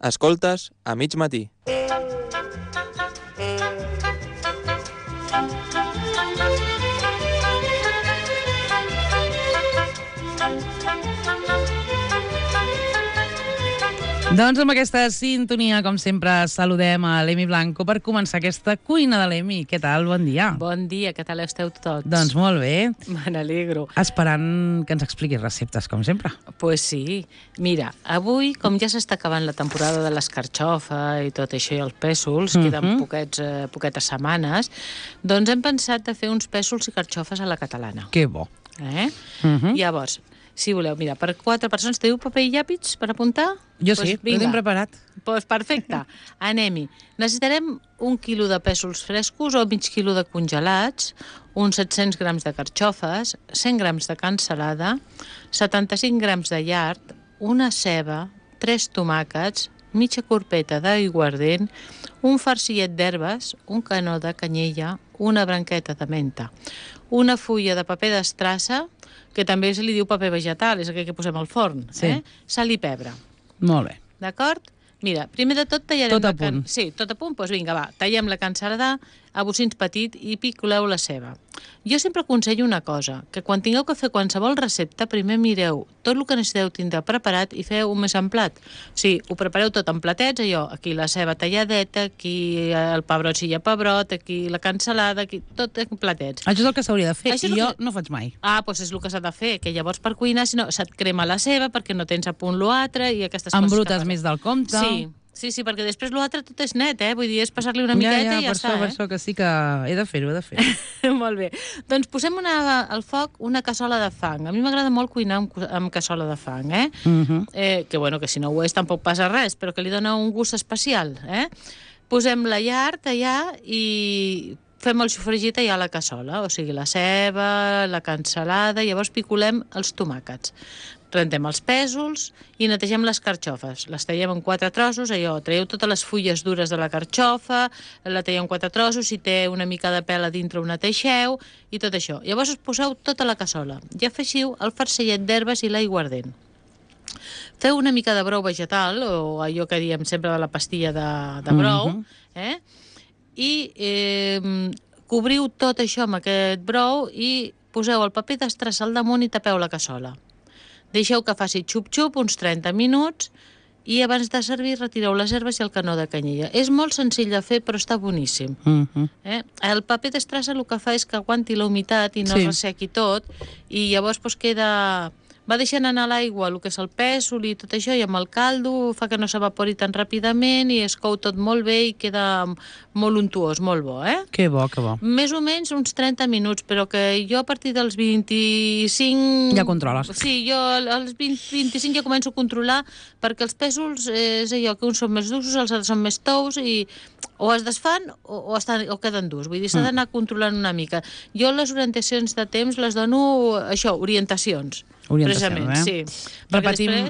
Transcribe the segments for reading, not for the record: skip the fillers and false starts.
Escoltes a mig matí. Doncs amb aquesta sintonia, com sempre, saludem a l'Emi Blanco per començar aquesta cuina de l'Emi. Què tal? Bon dia. Bon dia, què tal esteu tots? Doncs molt bé. Me n'alegro. Esperant que ens expliquis receptes, com sempre. Pues sí. Mira, avui, com ja s'està acabant la temporada de l'escarxofa i tot això i els pèsols, queden poquetes setmanes, doncs hem pensat de fer uns pèsols i carxofes a la catalana. Que bo. Llavors, si voleu, mira, per 4 persones, teniu paper i llàpits per apuntar? Jo sí, ho tinc preparat. Doncs perfecte, anem-hi. Necessitarem 1 quilo de pèsols frescos o mig quilo de congelats, uns 700 grams de carxofes, 100 grams de cansalada, 75 grams de llard, una ceba, 3 tomàquets, mitja corpeta d'aiguardent, un farcillet d'herbes, un canó de canyella, una branqueta de menta, una fulla de paper d'estrassa, que també se li diu paper vegetal, és aquell que posem al forn, sal i pebre. Molt bé. D'acord? Mira, primer de tot tallarem... Tot a punt. Sí, tot a punt? Doncs vinga, va, tallem la cansalada a bocins petits i picoleu la ceba. Jo sempre aconsello una cosa, que quan tingueu que fer qualsevol recepta, primer mireu tot el que necessiteu tindre preparat i feu un més en plat. O sigui, ho prepareu tot en platets, allò, aquí la ceba talladeta, aquí el pebrot si hi ha pebrot, aquí la cansalada, aquí, tot en platets. Això és el que s'hauria de fer, Això i és jo el que- no faig mai. Doncs és el que s'ha de fer, que llavors per cuinar, si no, se't crema la ceba perquè no tens a punt l'altre i aquestes coses. Embrutes que més del compte. Sí, perquè després l'altre tot és net, Vull dir, és passar-li una miqueta i ja està, per això que sí que he de fer-ho, Molt bé. Doncs posem al foc una cassola de fang. A mi m'agrada molt cuinar amb cassola de fang, que si no ho és tampoc passa res, però que li dona un gust especial, Posem la llard allà i fem el sofregit allà a la cassola, o sigui, la ceba, la cansalada, llavors picolem els tomàquets. Rentem els pèsols i netegem les carxofes. Les tallem en 4 trossos, traieu totes les fulles dures de la carxofa, la talleu en 4 trossos, si té una mica de pèl a dintre ho neteixeu i tot això. Llavors us poseu tota la cassola i afegiu el farcillet d'herbes i l'aiguardent. Feu una mica de brou vegetal, o allò que diem sempre de la pastilla de brou, i cobriu tot això amb aquest brou i poseu el paper d'estrassa al damunt i tapeu la cassola. Deixeu que faci xup-xup uns 30 minuts i abans de servir retireu les herbes i el canó de canyella. És molt senzill de fer, però està boníssim. El paper d'estrassa el que fa és que aguanti la humitat i no es ressequi tot, i llavors queda... Va deixant anar a l'aigua el que és el pèsol i tot això, i amb el caldo fa que no s'evapori tan ràpidament i es cou tot molt bé i queda molt untuós, molt bo, Que bo, que bo. Més o menys uns 30 minuts, però que jo a partir dels 25... Ja controles. Sí, jo als 25 ja començo a controlar, perquè els pèsols és allò que uns són més durs, els altres són més tous i o es desfan o queden durs. Vull dir, s'ha d'anar controlant una mica. Jo les orientacions de temps les dono, orientacions. Precisament, sí. Repetim...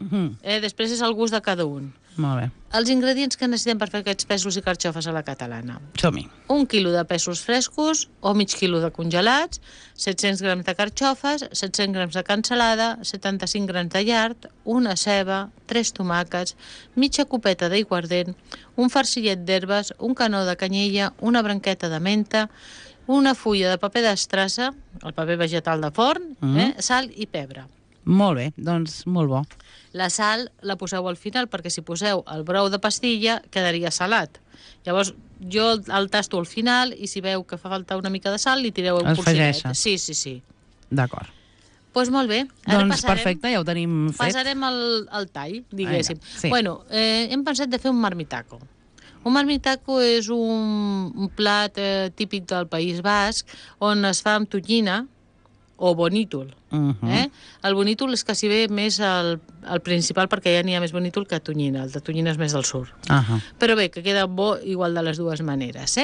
Perquè després és el gust de cada un. Molt bé. Els ingredients que necessitem per fer aquests pèsols i carxofes a la catalana. Som-hi. 1 quilo de pèsols frescos o mig quilo de congelats, 700 grams de carxofes, 700 grams de cansalada, 75 grams de llard, una ceba, 3 tomàquets, mitja copeta d'aiguardent, un farcillet d'herbes, un canó de canyella, una branqueta de menta, una fulla de paper d'estrassa, el paper vegetal de forn, sal i pebre. Molt bé, doncs molt bo. La sal la poseu al final, perquè si poseu el brou de pastilla quedaria salat. Llavors jo el tasto al final i si veu que fa falta una mica de sal li tireu un polsinet. Sí. D'acord. Doncs molt bé. Doncs perfecte, ja ho tenim fet. Passarem al tall, diguéssim. Sí. Hem pensat de fer un marmitaco. Un marmitaco és un plat típic del País Basc on es fa amb tonyina o bonítol. El bonítol és quasi bé més el principal, perquè ja n'hi ha més bonítol que tonyina. El de tonyina és més del sud. Però bé, que queda bo igual de les dues maneres.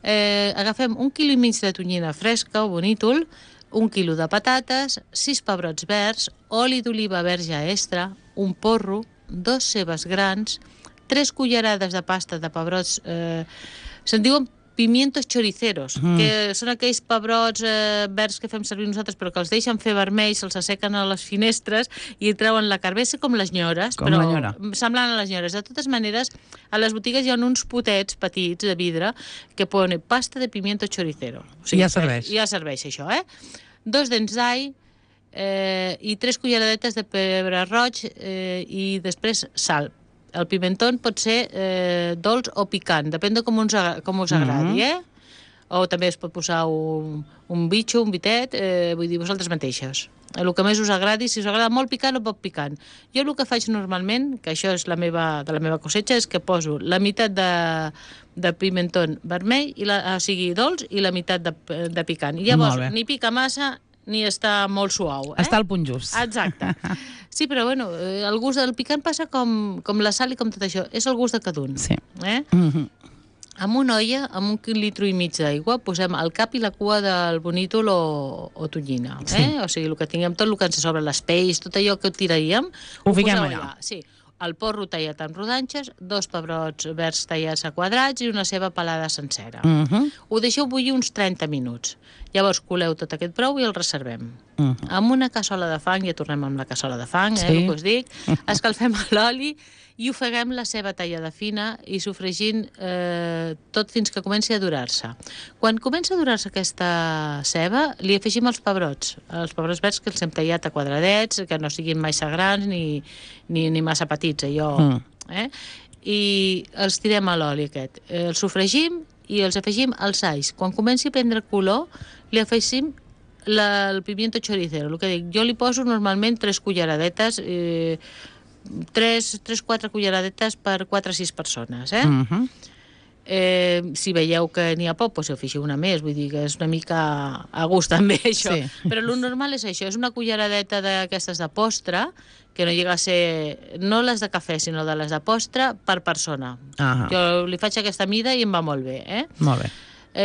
Agafem 1,5 quilo de tonyina fresca o bonítol, 1 quilo de patates, 6 pebrots verds, oli d'oliva verge extra, un porro, 2 cebes grans, 3 cullerades de pasta de pebrots, se'n diuen pimientos choriceros, que són aquells pebrots verds que fem servir nosaltres, però que els deixen fer vermells, se'ls assequen a les finestres i treuen la carbessa com les nyores, Com però la nyora. semblant a les nyores. De totes maneres, a les botigues hi ha uns potets petits de vidre que ponen pasta de pimiento choricero. Ja serveix. Ja serveix això, 2 dents d'all, i 3 culleradetes de pebre roig i després sal. El pimentón pot ser dolç o picant, depèn de com us agradi, O també es pot posar un bitxo, un bitet, vull dir, vosaltres mateixos. El que més us agradi, si us agrada molt picant o poc picant. Jo el que faig normalment, que això és de la meva cosetxa, és que poso la meitat de pimentón vermell, o sigui, dolç, i la meitat de picant. I llavors, ni pica massa, ni està molt suau. Està al punt just. Exacte. Sí, però bueno, el gust del picant passa com la sal i com tot això. És el gust de cada un. Sí. En una olla, amb 1,5 litres d'aigua, posem el cap i la cua del bonítol o tonyina. O sigui, el que tinguem, tot el que ens sobra, les peix, tot allò que tiraríem, ho fiquem allà. Sí. El porro tallat en rodanxes, 2 pebrots verds tallats a quadrats i una ceba pelada sencera. Ho deixeu bullir uns 30 minuts. Llavors coleu tot aquest brou i el reservem. Amb una cassola de fang, ja tornem amb la cassola de fang, el que us dic, escalfem l'oli i ofeguem la ceba tallada fina i sofregint tot fins que comenci a dorar-se. Quan comença a dorar-se aquesta ceba, li afegim els pebrots verds que els hem tallat a quadradets, que no siguin massa grans ni massa petits, allò. I els tirem a l'oli aquest. Els sofregim i els afegim els alls. Quan comenci a prendre color, li afegim el pimiento choricero. El que dic, jo li poso normalment 3 culleradetes, 3-4 culleradetes per 4 o 6 persones, si veieu que n'hi ha poc, doncs afegiu una més, vull dir que és una mica a gust també això, però el normal és això, és una culleradeta d'aquestes de postre, que no llega a ser, no les de cafè, sinó de les de postre per persona. Jo li faig aquesta mida i em va molt bé. Molt bé.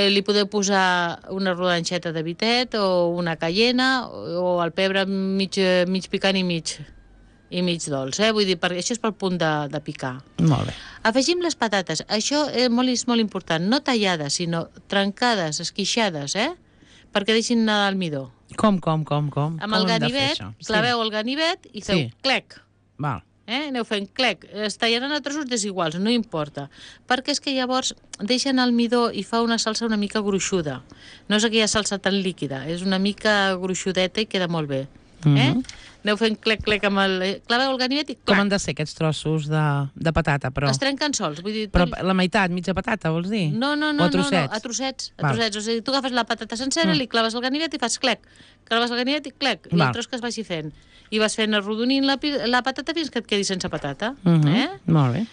Li podeu posar una rodanxeta de bitet o una cayena o el pebre mig picant i mig dolç, vull dir, perquè això és pel punt de picar. Molt bé. Afegim les patates. Això és molt important, no tallades, sinó trencades, esquixades, perquè deixin anar l'almidó. Com? Amb el ganivet, claveu el ganivet i feu clec. Val. Aneu fent clec. Es tallaran a trossos desiguals, no importa. Perquè és que llavors deixen almidó i fa una salsa una mica gruixuda. No és aquella salsa tan líquida, és una mica gruixudeta i queda molt bé. Aneu fent clec amb claveu el ganivet i clac. Com han de ser aquests trossos de patata, però? Es trenquen sols, vull dir... Però la meitat, mitja patata, vols dir? No, o a trossets? a trossets. O sigui, tu agafes la patata sencera, li claves el ganivet i fas clec. Claves el ganivet i clec. I el tros que es vagi fent. I vas fent arrodonint la patata fins que et quedi sense patata. Molt bé.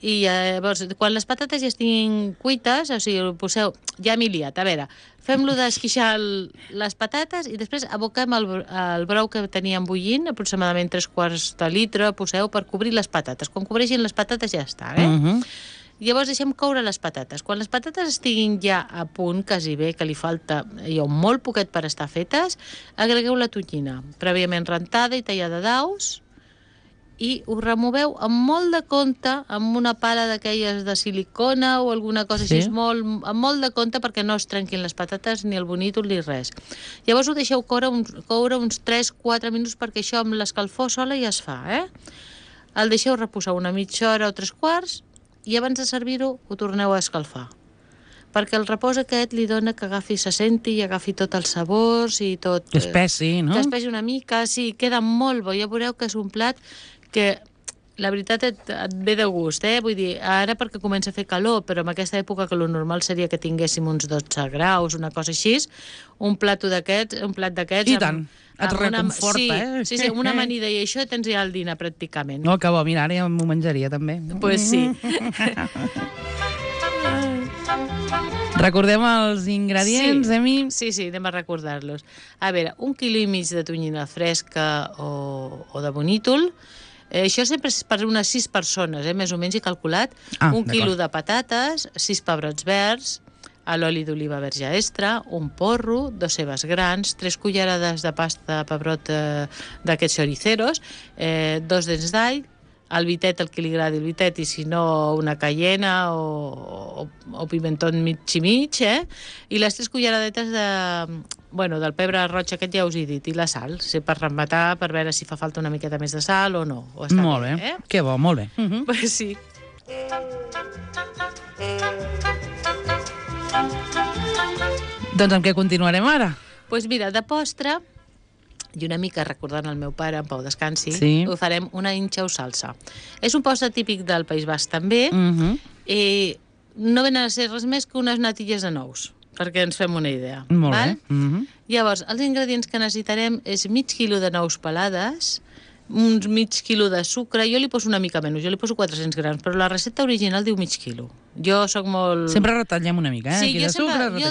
I llavors, quan les patates ja estiguin cuites, o sigui, poseu... Ja m'he liat, a veure, fem-lo d'esquixar les patates i després aboquem el brou que teníem bullint, aproximadament 3/4 de litre, poseu per cobrir les patates. Quan cobreixin les patates ja està, Llavors deixem coure les patates. Quan les patates estiguin ja a punt, quasi bé, que li falta molt poquet per estar fetes, agregueu la tonyina, prèviament rentada i tallada daus, i ho removeu amb molt de compte, amb una pala d'aquelles de silicona o alguna cosa així, amb molt de compte perquè no es trenquin les patates ni el bonítol ni res. Llavors ho deixeu coure uns 3-4 minuts perquè això amb l'escalfor sola ja es fa, El deixeu reposar una mitja hora o 3/4 i abans de servir-ho ho torneu a escalfar. Perquè el repòs aquest li dona que se senti i agafi tots els sabors i tot... Que espessi, no? Que espessi una mica, sí, queda molt bo. Ja veureu que és un plat que la veritat et ve de gust, Vull dir, ara perquè comença a fer calor, però en aquesta època que el normal seria que tinguéssim uns 12 graus, una cosa així, un plat d'aquests... I tant, et reconforta, Sí, amb una amanida i això tens ja el dinar pràcticament. Oh, que bo, mira, ara ja m'ho menjaria també. Pues sí. Recordem els ingredients, Emi? Sí, anem a recordar-los. A veure, 1,5 quilos de tonyina fresca o de bonítol. Això sempre és per unes 6 persones, més o menys he calculat. 1 quilo de patates, 6 pebrots verds, a l'oli d'oliva verge extra, un porro, 2 cebes grans, 3 cullerades de pasta de pebrot d'aquests choriceros, 2 dents d'all, el vitet, el que li agradi el vitet, i si no, una cayena o pimentó mig i mig, i les 3 culleradetes del pebre roig aquest ja us he dit, i la sal, per rematar, per veure si fa falta una miqueta més de sal o no. O està molt bé, que bo, molt bé. Pues sí. Doncs amb què continuarem ara? Doncs mira, de postre, i una mica recordant el meu pare, en Pau descansi, ho farem una inxa o salsa. És un postre típic del País Basc també, i no venen a ser res més que unes natilles de nous, perquè ens fem una idea. Molt bé. Llavors, els ingredients que necessitarem és mig quilo de nous pelades, uns mig quilo de sucre, jo li poso una mica menys, jo li poso 400 grams, però la recepta original diu mig quilo. Jo sóc molt... Sempre retallem una mica, Sí, jo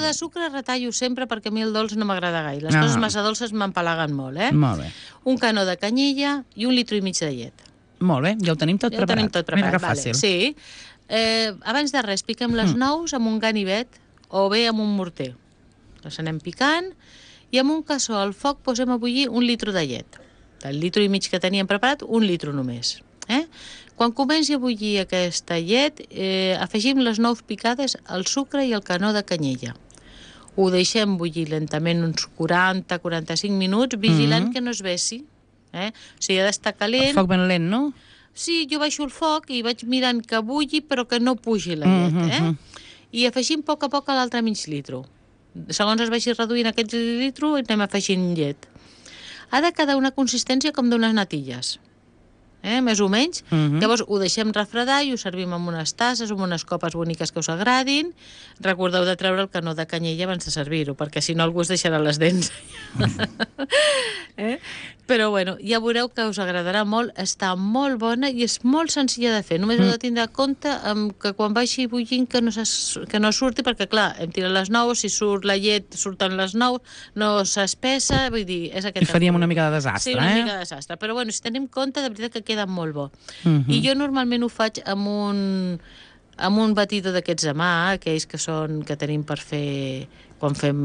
de sucre retallo sempre perquè a mi el dolç no m'agrada gaire. Les coses massa dolces m'empalaguen molt, Molt bé. Un canó de canyella i 1 litro i mig de llet. Molt bé, ja ho tenim tot preparat. Ja ho tenim tot preparat, mira que fàcil. Sí. Abans de res, piquem les nous amb un ganivet o bé amb un morter. Les anem picant i amb un cassó al foc posem a bullir 1 litro de llet. Del litro i mig que teníem preparat, 1 litro només. Quan comenci a bullir aquesta llet, afegim les nous picades, el sucre i el canó de canyella. Ho deixem bullir lentament uns 40-45 minuts, vigilant que no es vessi. O sigui, ha d'estar calent. El foc ben lent, no? Sí, jo baixo el foc i vaig mirant que bulli però que no pugi la llet. I afegim a poc l'altre mig litro. Segons es vagi reduint aquest litro, anem afegint llet. Ha de quedar una consistència com d'unes natilles, més o menys. Llavors ho deixem refredar i ho servim amb unes tasses, amb unes copes boniques que us agradin. Recordeu de treure el canó de canyella abans de servir-ho, perquè si no algú es deixarà les dents. Però bueno, ja veureu que us agradarà molt, està molt bona i és molt senzilla de fer. Només heu de tindre compte que quan vagi bullint que no surti, perquè clar, hem tirat les nous, si surt la llet, surten les nous, no s'espessa, vull dir, és aquest... I faríem una mica de desastre, Sí, una mica de desastre, però bueno, si tenim compte, de veritat que queda molt bo. I jo normalment ho faig amb un batidor d'aquests de mà, aquells que tenim per fer quan fem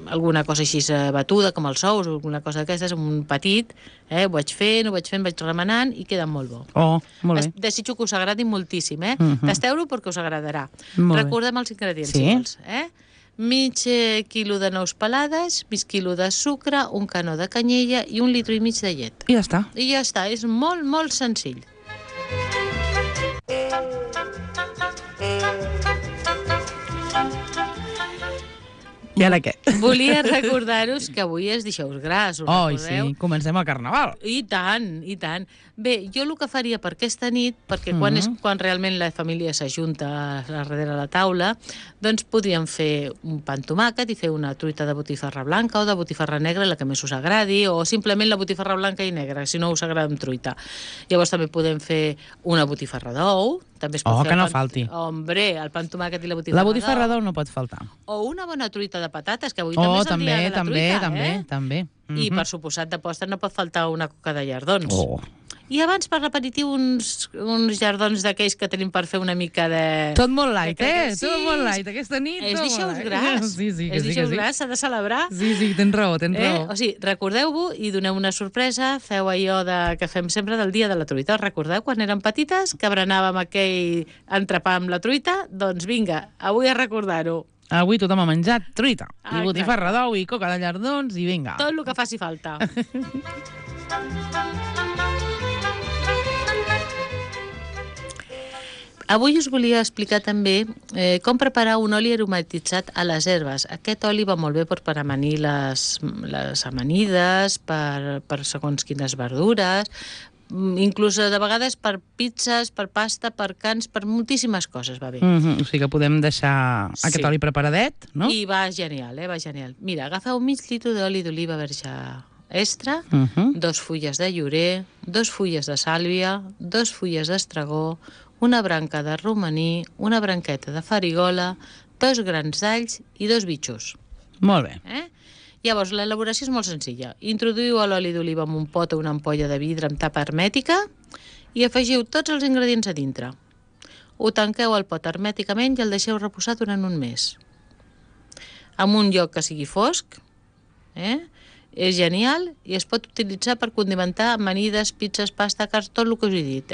alguna cosa així batuda, com els ous o alguna cosa d'aquestes, amb un petit, ho vaig fent, vaig remenant i queda molt bo. Oh, molt bé. Desitjo que us agradi moltíssim, Tasteu-lo perquè us agradarà. Recordem els ingredients, si vols, mig quilo de nous pelades, mig quilo de sucre, un canó de canyella i 1 litro i mig de llet. I ja està. I ja està, és molt, molt senzill. I ara què? Volia recordar-vos que avui és dijous gras, us recordeu? Sí, comencem el carnaval. I tant, i tant. Bé, jo el que faria per aquesta nit, perquè quan realment la família s'ajunta darrere la taula, doncs podríem fer un pa amb tomàquet i fer una truita de botifarra blanca o de botifarra negra, la que més us agradi, o simplement la botifarra blanca i negra, si no us agrada amb truita. Llavors també podem fer una botifarra d'ou, també es pot fer que no falti. Hombre, el pa amb tomàquet i la botifarra d'ou. La botifarra d'ou no pot faltar. O una bona truita de patates, que avui també és el dia de la truita, també. I per suposat de postre no pot faltar una coca de llardons. I abans per l'aperitiu uns llardons d'aquells que tenim per fer una mica de... Tot molt light, Tot molt light. Aquesta nit és dijous gras. Sí, és dijous gras, s'ha de celebrar. Sí, tens raó. O sigui, recordeu-ho i doneu una sorpresa, feu allò que fem sempre del dia de la truita. Recordeu quan érem petites que berenàvem aquell entrepà amb la truita? Doncs vinga, avui a recordar-ho. Avui tothom ha menjat truita, i botifarra d'ou, i coca de llardons, i vinga. Tot el que faci falta. Avui us volia explicar també com preparar un oli aromatitzat a les herbes. Aquest oli va molt bé per amanir les amanides, per segons quines verdures, inclús de vegades per pizzas, per pasta, per cans, per moltíssimes coses va bé. O sigui que podem deixar aquest oli preparadet, no? I va genial, va genial. Mira, agafeu mig litro d'oli d'oliva verge extra, 2 fulles de llorer, 2 fulles de sàlvia, 2 fulles d'estragó, una branca de romaní, una branqueta de farigola, 2 grans d'alls i 2 bitxos. Molt bé. Llavors, l'elaboració és molt senzilla. Introduïu l'oli d'oliva en un pot o una ampolla de vidre amb tapa hermètica i afegiu tots els ingredients a dintre. Ho tanqueu al pot hermèticament i el deixeu reposar durant un mes. En un lloc que sigui fosc, És genial i es pot utilitzar per condimentar amanides, pizzas, pasta, carn, tot el que us he dit,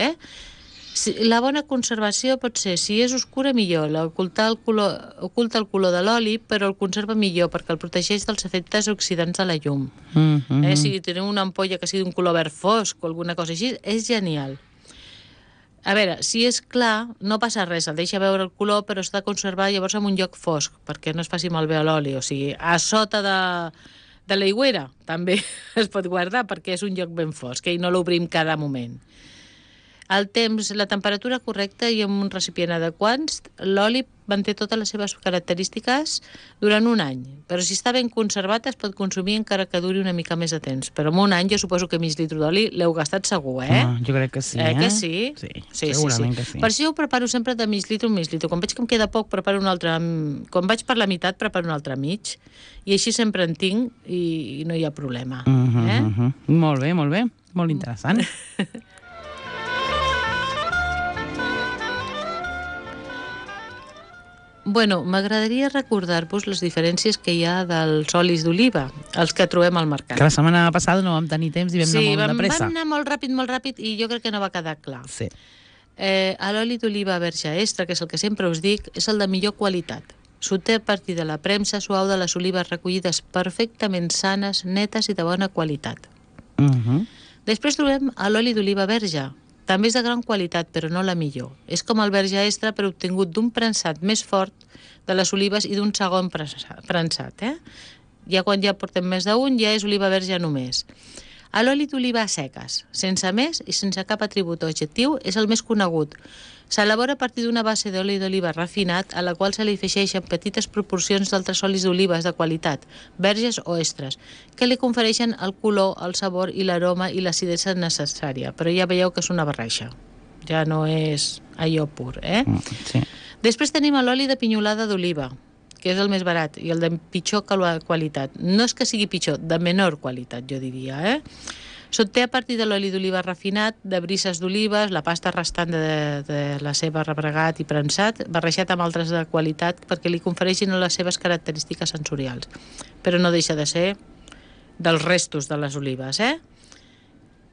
La bona conservació pot ser, si és oscura, millor. Oculta el color de l'oli, però el conserva millor perquè el protegeix dels efectes oxidants de la llum. Si teniu una ampolla que sigui d'un color verd fosc o alguna cosa així, és genial. A veure, si és clar, no passa res, el deixa veure el color, però s'ha de conservar llavors en un lloc fosc, perquè no es faci malbé l'oli. O sigui, a sota de l'aigüera també es pot guardar perquè és un lloc ben fosc i no l'obrim cada moment. El temps, la temperatura correcta i amb un recipient adequat, l'oli manté totes les seves característiques durant un any. Però si està ben conservat es pot consumir encara que duri una mica més de temps. Però en un any jo suposo que mig litre d'oli l'heu gastat segur, Jo crec que sí, que sí? Sí, segurament que sí. Per això ho preparo sempre de mig litre, un mig litre. Quan veig que em queda poc, preparo un altre... Quan vaig per la meitat, preparo un altre mig. I així sempre en tinc i no hi ha problema. Molt bé, molt bé. Molt interessant. Bueno, m'agradaria recordar-vos les diferències que hi ha dels olis d'oliva, els que trobem al mercat. Que la setmana passada no vam tenir temps i vam anar molt de pressa. Sí, vam anar molt ràpid i jo crec que no va quedar clar. Sí. L'oli d'oliva verge extra, que és el que sempre us dic, és el de millor qualitat. S'obté a partir de la premsa suau de les olives recollides perfectament sanes, netes i de bona qualitat. Després trobem l'oli d'oliva verge. També és de gran qualitat, però no la millor. És com el verge extra, però obtingut d'un prensat més fort de les olives i d'un segon prensat. Ja quan ja portem més d'un, ja és oliva verge només. L'oli d'oliva a seques, sense més i sense cap atribut o adjectiu, és el més conegut. S'elabora a partir d'una base d'oli d'oliva refinat, a la qual se li afegeixen petites proporcions d'altres olis d'olives de qualitat, verges o extres, que li confereixen el color, el sabor i l'aroma i l'acidesa necessària. Però ja veieu que és una barreja. Ja no és allò pur, Sí. Després tenim l'oli de pinyolada d'oliva, que és el més barat i el de pitjor qualitat. No és que sigui pitjor, de menor qualitat, jo diria, S'obté a partir de l'oli d'oliva refinat, de brises d'olives, la pasta restant de la ceba rebregat i prensat, barrejat amb altres de qualitat perquè li confereixin les seves característiques sensorials. Però no deixa de ser dels restos de les olives,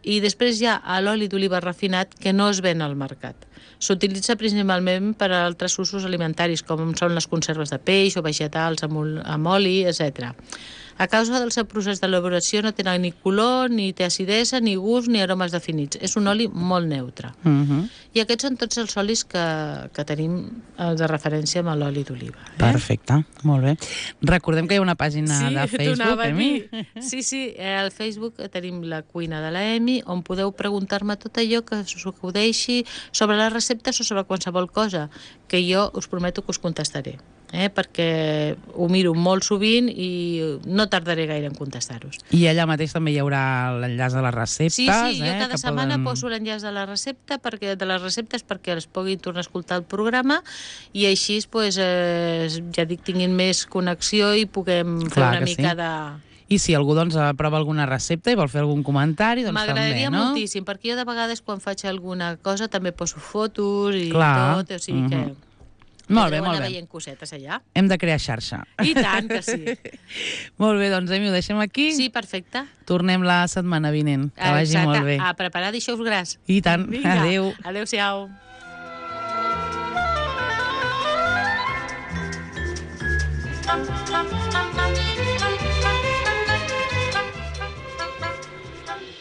I després hi ha l'oli d'oliva refinat que no es ven al mercat. S'utilitza principalment per a altres usos alimentaris, com són les conserves de peix o vegetals amb oli, etc. A causa del seu procés d'elaboració no tenen ni color, ni té acidesa, ni gust, ni aromes definits. És un oli molt neutre. I aquests són tots els olis que tenim de referència amb l'oli d'oliva. Perfecte, molt bé. Recordem que hi ha una pàgina de Facebook, Emi. Sí, al Facebook tenim la cuina de la Emi, on podeu preguntar-me tot allò que us acudeixi sobre les receptes o sobre qualsevol cosa, que jo us prometo que us contestaré. Perquè ho miro molt sovint i no tardaré gaire en contestar-vos. I allà mateix també hi haurà l'enllaç de les receptes. Sí, jo cada setmana poso l'enllaç de la recepta de les receptes perquè es puguin tornar a escoltar el programa i així, ja dic, tinguin més connexió i puguem fer una mica de... I si algú aprova alguna recepta i vol fer algun comentari, doncs també, no? M'agradaria moltíssim, perquè jo de vegades quan faig alguna cosa també poso fotos i tot, o sigui que... Molt bé, molt bé. Anar veient cosetes allà. Hem de crear xarxa. I tant que sí. Molt bé, doncs, Emi, ho deixem aquí. Sí, perfecte. Tornem la setmana vinent. Que vagi molt bé. A preparar deixeu-vos gras. I tant. Vinga. Adéu. Adéu-siau.